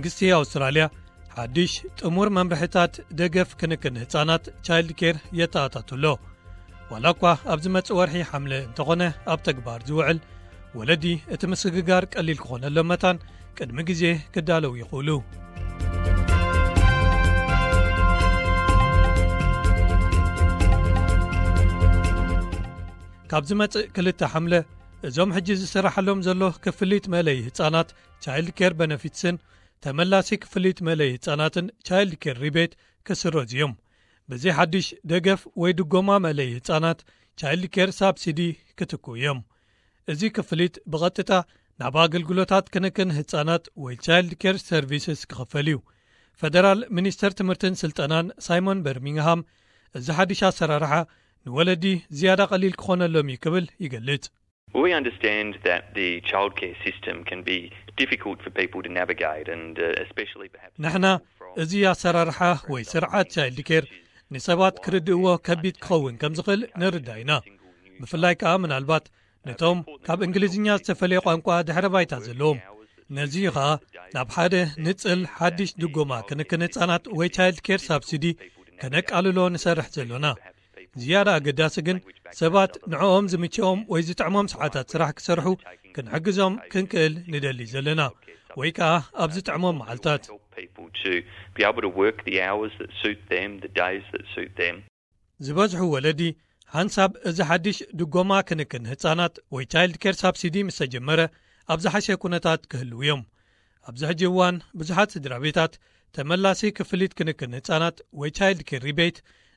መንግስቲ ኣውስትራልያ ሓድሽ ጥሙር መምርሕታት ደገፍ ክንክን ህጻናት ቻይልድ ኬር የተኣታቱ ኣሎ። ዋላ እኳ ኣብ ዝመጽእ ወርሒ ሓምለ እንተኾነ ኣብ ተግባር ዝውዕል፣ ወለዲ እቲ ምስግጋር ቀሊል ክኾነሎም መታን ቅድሚ ግዜ ክዳለው ይኽእሉ። ካብ ዝመጽእ ክልተ ሓምለ፣ እዞም ሕጂ ዝስራሓሎም ዘሎ ክፍሊት መለይ ህጻናት ቻይልድ ኬር በነፊትስን ተመላሲ ክፍሊት መለይ ህጻናትን ቻይልድ ኬር ሪቤት ክስረዙ እዮም። በዚ ሓድሽ ደገፍ ወይ ድጎማ መለይ ህጻናት ቻይልድ ኬር ሳብሲዲ ክትኩ እዮም። እዚ ክፍሊት ብቐጥታ ናብ ኣገልግሎታት ክንክን ህጻናት ወይ ቻይልድ ኬር ሰርቪስስ ክኽፈል እዩ። ፈደራል ሚኒስተር ትምህርትን ስልጠናን ሳይሞን በርሚንግሃም፣ እዚ ሓድሽ ኣሰራርሓ ንወለዲ ዝያዳ ቀሊል ክኾነሎም እዩ ክብል ይገልጽ። We understand that the childcare system can be difficult for people to navigate, and uh, especially perhaps ንሕና እዚ ኣሰራርሓ ወይ ስርዓት ቻይልድ ኬር ንሰባት ክርድእዎ ከቢድ ክኸውን ከም ዝኽእል ንርዳእ ኢና። ብፍላይ ከኣ ምናልባት ነቶም ካብ እንግሊዝኛ ዝተፈለየ ቋንቋ ድሕረ ባይታ ዘለዎም። ነዚ እዩ ኸኣ ናብ ሓደ ንጽል ሓድሽ ድጎማ ክንክን ህጻናት ወይ ቻይልድ ኬር ሳብሲዲ ከነቃልሎ ንሰርሕ ዘሎና። ዝያዳ ኣገዳሲ ግን ሰባት ንዕኦም ዝምችኦም ወይ ዝጥዕሞም ሰዓታት ስራሕ ክሰርሑ ክንሕግዞም ክንክእል ንደሊ ዘለና፣ ወይ ከኣ ኣብ ዝጥዕሞም መዓልታት። Help people to be able to work the hours that suit them, the days that suit them. ዝበዝሑ ወለዲ ሓንሳብ እዚ ሓድሽ ድጎማ ክንክን ህጻናት ወይ ቻይልድ ኬር ሳብሲዲ ምስ ተጀመረ ኣብ ዝሓሸ ኩነታት ክህልዉ እዮም። ኣብዚ ሕጂ እዋን ብዙሓት ስድራ ቤታት ተመላሲ ክፍሊት ክንክን ህጻናት ወይ ቻይልድ ኬር ሪቤት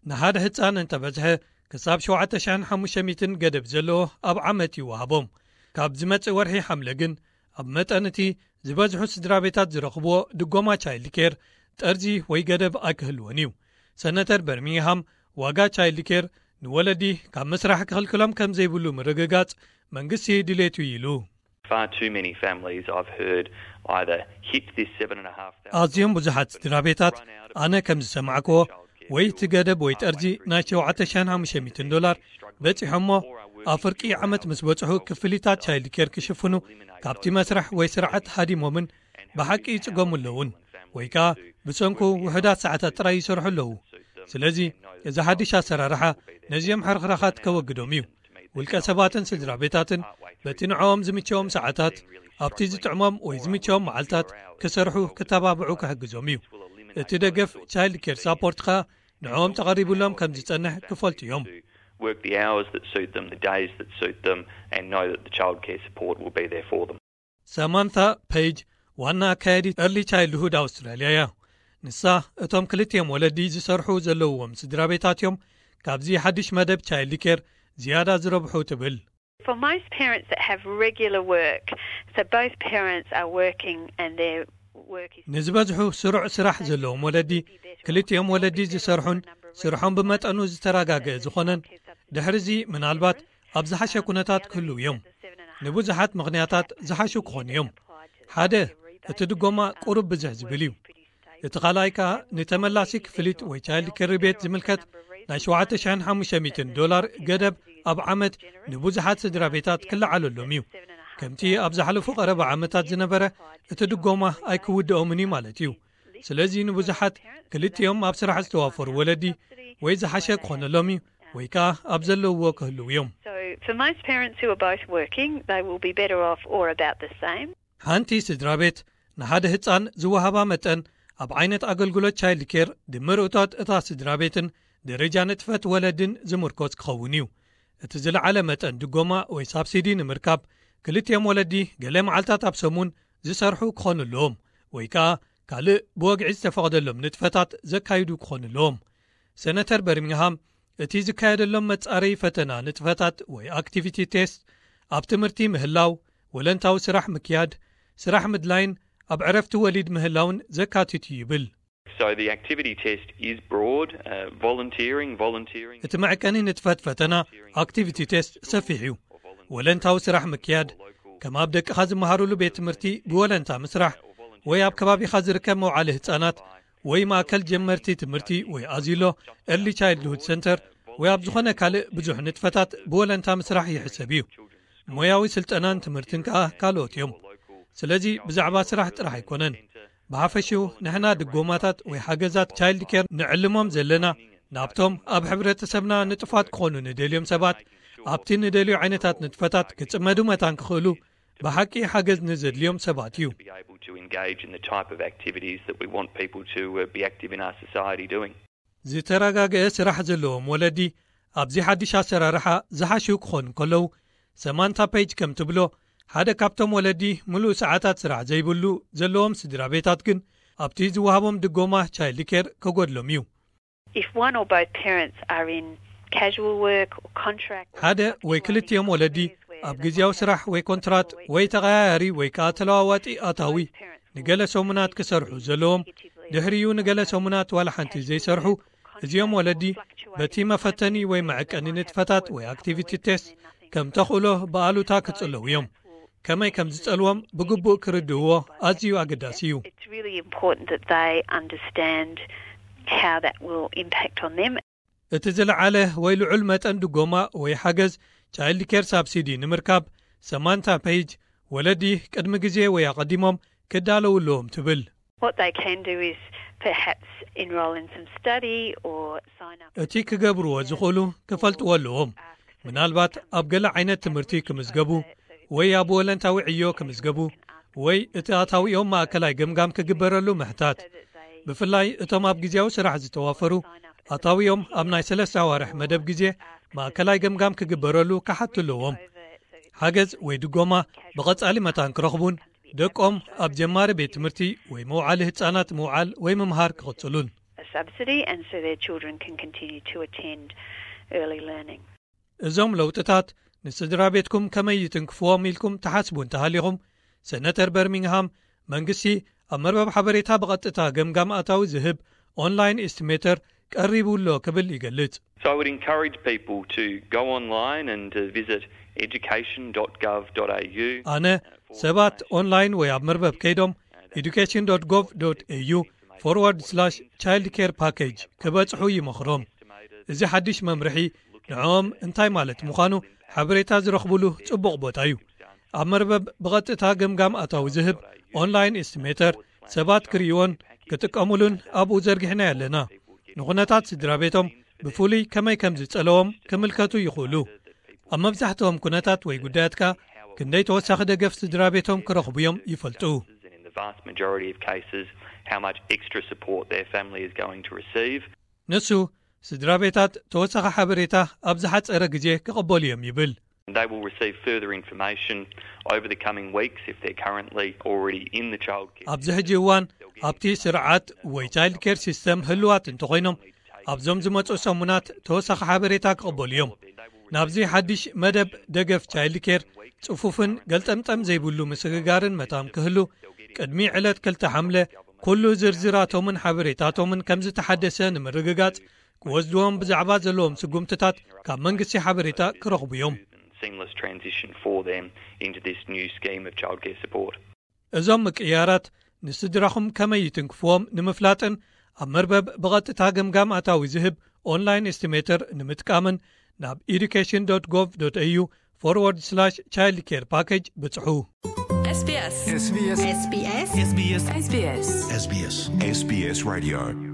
ንሓደ ህጻን እንተበዝሐ ክሳብ ሸውዓተ ሽሕን ሓሙሽተ ሚእትን ገደብ ዘለዎ ኣብ ዓመት ይወሃቦም። ካብ ዝመጽእ ወርሒ ሓምለ ግን ኣብ መጠን እቲ ዝበዝሑ ስድራ ቤታት ዝረኽብዎ ድጎማ ቻይልድ ኬር ጠርዚ ወይ ገደብ ኣይክህልዎን እዩ። ሰነተር በርሚንግሃም ዋጋ ቻይልድ ኬር ንወለዲ ካብ ምስራሕ ክኽልክሎም ከም ዘይብሉ ምርግጋጽ መንግስቲ ድሌቱ እዩ ኢሉ። Far too many families I've heard either hit this seven and a half thousand ኣዝዮም ብዙሓት ስድራ ቤታት ኣነ ከም ዝሰማዕክዎ ወይ እቲ ገደብ ወይ ጠርዚ ናይ ሸውዓተ ሽሕን ሓሙሽተ ሚእትን ዶላር በጺሖሞ ኣብ ፍርቂ ዓመት ምስ በጽሑ ክፍሊታት ቻይልድ ኬር ክሽፍኑ ካብቲ መስርሕ ወይ ስርዓት ሃዲሞምን ብሓቂ ይጽገሙ ኣለውን ወይ ከኣ ብሰንኩ ውሑዳት ሰዓታት ጥራይ ይሰርሑ ኣለዉ። ስለዚ እዚ ሓድሽ ኣሰራርሓ ነዚኦም ሕርኽራኻት ከወግዶም እዩ። ውልቀ ሰባትን ስድራ ቤታትን በቲ ንዕኦም ዝምቸዎም ሰዓታት ኣብቲ ዝጥዕሞም ወይ ዝምቸዎም መዓልታት ክሰርሑ ክተባብዑ ክሕግዞም እዩ። እቲ ደገፍ ቻይልድ ኬር ሳፖርት ኸኣ ንዕኦም ተቐሪቡሎም ከም ዝጸንሕ ክፈልጡ እዮም። Work the hours that suit them, the days that suit them, and know that the childcare support will be there for them. ሰማንታ ፔጅ ዋና ኣካያዲት ኤርሊ ቻይልድሁድ ኣውስትራልያ እያ። ንሳ እቶም ክልቲኦም ወለዲ ዝሰርሑ ዘለውዎም ስድራ ቤታት እዮም ካብዚ ሓድሽ መደብ ቻይልድ ኬር ዝያዳ ዝረብሑ ትብል። For most parents that have regular work, so both parents are working and their work is ንዝበዝሑ ስሩዕ ስራሕ ዘለዎም ወለዲ ክልቲኦም ወለዲ ዝሰርሑን ስርሖም ብመጠኑ ዝተረጋገአ ዝኾነን ድሕርዚ ምናልባት ኣብ ዝሓሸ ኩነታት ክህልው እዮም። ንብዙሓት ምኽንያታት ዝሓሹ ክኾኑ እዮም። ሓደ እቲ ድጎማ ቁሩብ ብዝሕ ዝብል እዩ። እቲ ካልኣይ ከኣ ንተመላሲ ክፍሊት ወይ ቻይልድ ኬር ሪቤት ዝምልከት ናይ ሸውዓተ ሽሕን ሓሙሽተ ሚእትን ዶላር ገደብ ኣብ ዓመት ንብዙሓት ስድራ ቤታት ክለዓለሎም እዩ። ከምቲ ኣብ ዝሓለፉ ቀረባ ዓመታት ዝነበረ እቲ ድጎማ ኣይክውድኦምን እዩ ማለት እዩ። ስለዚ ንብዙሓት ክልቲኦም ኣብ ስራሕ ዝተዋፈሩ ወለዲ ወይ ዝሓሸ ክኾነሎም እዩ ወይ ከኣ ኣብ ዘለውዎ ክህልው እዮም። So for most parents who are both working, they will be better off or about the same. ሓንቲ ስድራ ቤት ንሓደ ህጻን ዝወሃባ መጠን ኣብ ዓይነት ኣገልግሎት ቻይልድ ኬር ድምር እቶት እታ ስድራ ቤትን ደረጃ ንጥፈት ወለድን ዝምርኮስ ክኸውን እዩ። እቲ ዝለዓለ መጠን ድጎማ ወይ ሳብሲዲ ንምርካብ ክልቲኦም ወለዲ ገለ መዓልታት ኣብ ሰሙን ዝሰርሑ ክኾኑ ኣለዎም ወይ ከኣ ካልእ ብወግዒ ዝተፈቕደሎም ንጥፈታት ዘካይዱ ክኾኑ ኣለዎም። ሰነተር በርሚንግሃም እቲ ዝካየደሎም መጻረዪ ፈተና ንጥፈታት ወይ ኣክቲቪቲ ቴስት ኣብ ትምህርቲ ምህላው፣ ወለንታዊ ስራሕ ምክያድ፣ ስራሕ ምድላይን ኣብ ዕረፍቲ ወሊድ ምህላውን ዘካትት እዩ ይብል። So the activity test is broad, uh, volunteering, volunteering. እቲ መዕቀኒ ንጥፈት ፈተና ኣክቲቪቲ ቴስት ሰፊሕ እዩ። ወለንታዊ ስራሕ ምክያድ፣ ከም ኣብ ደቅኻ ዝመሃሩሉ ቤት ትምህርቲ ብወለንታ ምስራሕ ወይ ኣብ ከባቢኻ ዝርከብ መውዓሊ ህጻናት ወይ ማእከል ጀመርቲ ትምህርቲ ወይ ኣዚሎ ኤርሊ ቻይልድሁድ ሰንተር ወይ ኣብ ዝኾነ ካልእ ብዙሕ ንጥፈታት ብወለንታ ምስራሕ ይሕሰብ እዩ። ሞያዊ ስልጠናን ትምህርትን ከኣ ካልኦት እዮም። ስለዚ ብዛዕባ ስራሕ ጥራሕ ኣይኮነን። ብሓፈሽኡ ንሕና ድጎማታት ወይ ሓገዛት ቻይልድ ኬር ንዕልሞም ዘለና ናብቶም ኣብ ሕብረተሰብና ንጥፋት ክኾኑ ንደልዮም ሰባት ኣብቲ ንደልዮ ዓይነታት ንጥፈታት ክጽመዱ መታን ክኽእሉ ብሓቂ ሓገዝ ንዘድልዮም ሰባት እዩ። Be able to engage in the type of activities that we want people to uh, be active in our society doing. ዝተረጋገአ ስራሕ ዘለዎም ወለዲ ኣብዚ ሓድሽ ኣሰራርሓ ዝሓሽው ክኾኑ ከለዉ፣ ሰማንታ ፔጅ ከም ትብሎ ሓደ ካብቶም ወለዲ ምሉእ ሰዓታት ስራሕ ዘይብሉ ዘለዎም ስድራ ቤታት ግን ኣብቲ ዝወሃቦም ድጎማ ቻይልድ ኬር ከጎድሎም እዩ። If one or both parents are in casual work or contract, ሓደ ወይ ክልቲኦም ወለዲ ኣብ ግዜያዊ ስራሕ ወይ ኮንትራት ወይ ተቐያያሪ ወይ ከዓ ተለዋዋጢ ኣታዊ ንገለ ሰሙናት ክሰርሑ ዘለዎም፣ ድሕሪኡ ንገለ ሰሙናት ዋላ ሓንቲ ዘይሰርሑ፣ እዚኦም ወለዲ በቲ መፈተኒ ወይ መዐቀኒ ንጥፈታት ወይ ኣክቲቪቲ ቴስት ከም ተኽእሎ ብኣሉታ ክጽለዉ እዮም። ከመይ ከም ዝጸልዎም ብግቡእ ክርድእዎ ኣዝዩ ኣገዳሲ እዩ። It's really important that they understand how that will impact on them. እቲ ዝለዓለ ወይ ልዑል መጠን ድጎማ ወይ ሓገዝ ቻይልድ ኬር ሳብሲዲ ንምርካብ ሰማንታ ፔጅ ወለዲ ቅድሚ ግዜ ወይ ኣቐዲሞም ክዳለዉ ኣለዎም ትብል። What they can do is perhaps enrol in some study or sign up. እቲ ክገብርዎ ዝኽእሉ ክፈልጥዎ ኣለዎም። ምናልባት ኣብ ገለ ዓይነት ትምህርቲ ክምዝገቡ ወይ ኣብ ወለንታዊ ዕዮ ክምዝገቡ ወይ እቲ ኣታዊኦም ማእከላይ ገምጋም ክግበረሉ ምሕታት። ብፍላይ እቶም ኣብ ግዜያዊ ስራሕ ዝተዋፈሩ ኣታዊኦም ኣብ ናይ ሰለስተ ኣዋርሕ መደብ ግዜ ማእከላይ ገምጋም ክግበረሉ ክሓቱ ኣለዎም። ሓገዝ ወይ ድጎማ ብቐጻሊ መታን ክረኽቡን ደቆም ኣብ ጀማሪ ቤት ትምህርቲ ወይ መውዓሊ ህጻናት ምውዓል ወይ ምምሃር ክቕጽሉን። A subsidy, and so their children can continue to attend early learning. እዞም ለውጥታት ንስድራ ቤትኩም ከመይ ይትንክፍዎም ኢልኩም ትሓስቡ እንተሃሊኹም፣ ሰነተር በርሚንግሃም መንግስቲ ኣብ መርበብ ሓበሬታ ብቐጥታ ገምጋም ኣታዊ ዝህብ ኦንላይን ኤስቲሜተር ቀሪቡ ኣሎ ክብል ይገልጽ። So I would encourage people to go online and uh, visit education.gov.au. ኣነ ሰባት ኦንላይን ወይ ኣብ መርበብ ከይዶም education.gov.au forward slash childcare package ክበጽሑ ይመኽሮም። እዚ ሓድሽ መምርሒ ንዕኦም እንታይ ማለት ምዃኑ ሓበሬታ ዝረኽብሉ ጽቡቕ ቦታ እዩ። ኣብ መርበብ ብቐጥታ ገምጋም ኣታዊ ዝህብ ኦንላይን ኤስቲሜተር ሰባት ክርእይዎን ክጥቀሙሉን ኣብኡ ዘርጊሕና ኣለና። ንኹነታት ስድራ ቤቶም ብፍሉይ ከመይ ከም ዝጸለዎም ክምልከቱ ይኽእሉ። ኣብ መብዛሕትኦም ኩነታት ወይ ጉዳያትካ ክንደይ ተወሳኺ ደገፍ ስድራ ቤቶም ክረኽቡ እዮም ይፈልጡ። In the vast majority of cases, how much extra support their family is going to receive. ንሱ ስድራ ቤታት ተወሳኺ ሓበሬታ ኣብ ዝሓጸረ ግዜ ክቕበሉ እዮም ይብል። They will receive further information over the coming weeks if they're currently already in the childcare. ኣብዚ ሕጂ እዋን ኣብቲ ስርዓት ወይ ቻይልድ ኬር ሲስተም ህልዋት እንተኾይኖም ኣብዞም ዝመፁ ሰሙናት ተወሳኺ ሓበሬታ ክቕበሉ እዮም። ናብዚ ሓድሽ መደብ ደገፍ ቻይልድ ኬር ጽፉፍን ገልጠምጠም ዘይብሉ ምስግጋርን መታን ክህሉ ቅድሚ ዕለት ክልተ ሓምለ ኩሉ ዝርዝራቶምን ሓበሬታቶምን ከም ዝተሓደሰ ንምርግጋጽ ክወስድዎም ብዛዕባ ዘለዎም ስጉምትታት ካብ መንግስቲ ሓበሬታ ክረኽቡ እዮም። Seamless transition for them into this new scheme of childcare support. እዞም ምቅያራት ንስድራኹም ከመይ ይትንክፍዎም ንምፍላጥን ኣብ መርበብ ብቐጥታ ገምጋም ኣታዊ ዝህብ ኦንላይን ኤስቲሜተር ንምጥቃምን ናብ education.gov.au forward slash childcare package ብጽሑ። SBS SBS SBS SBS SBS SBS Radio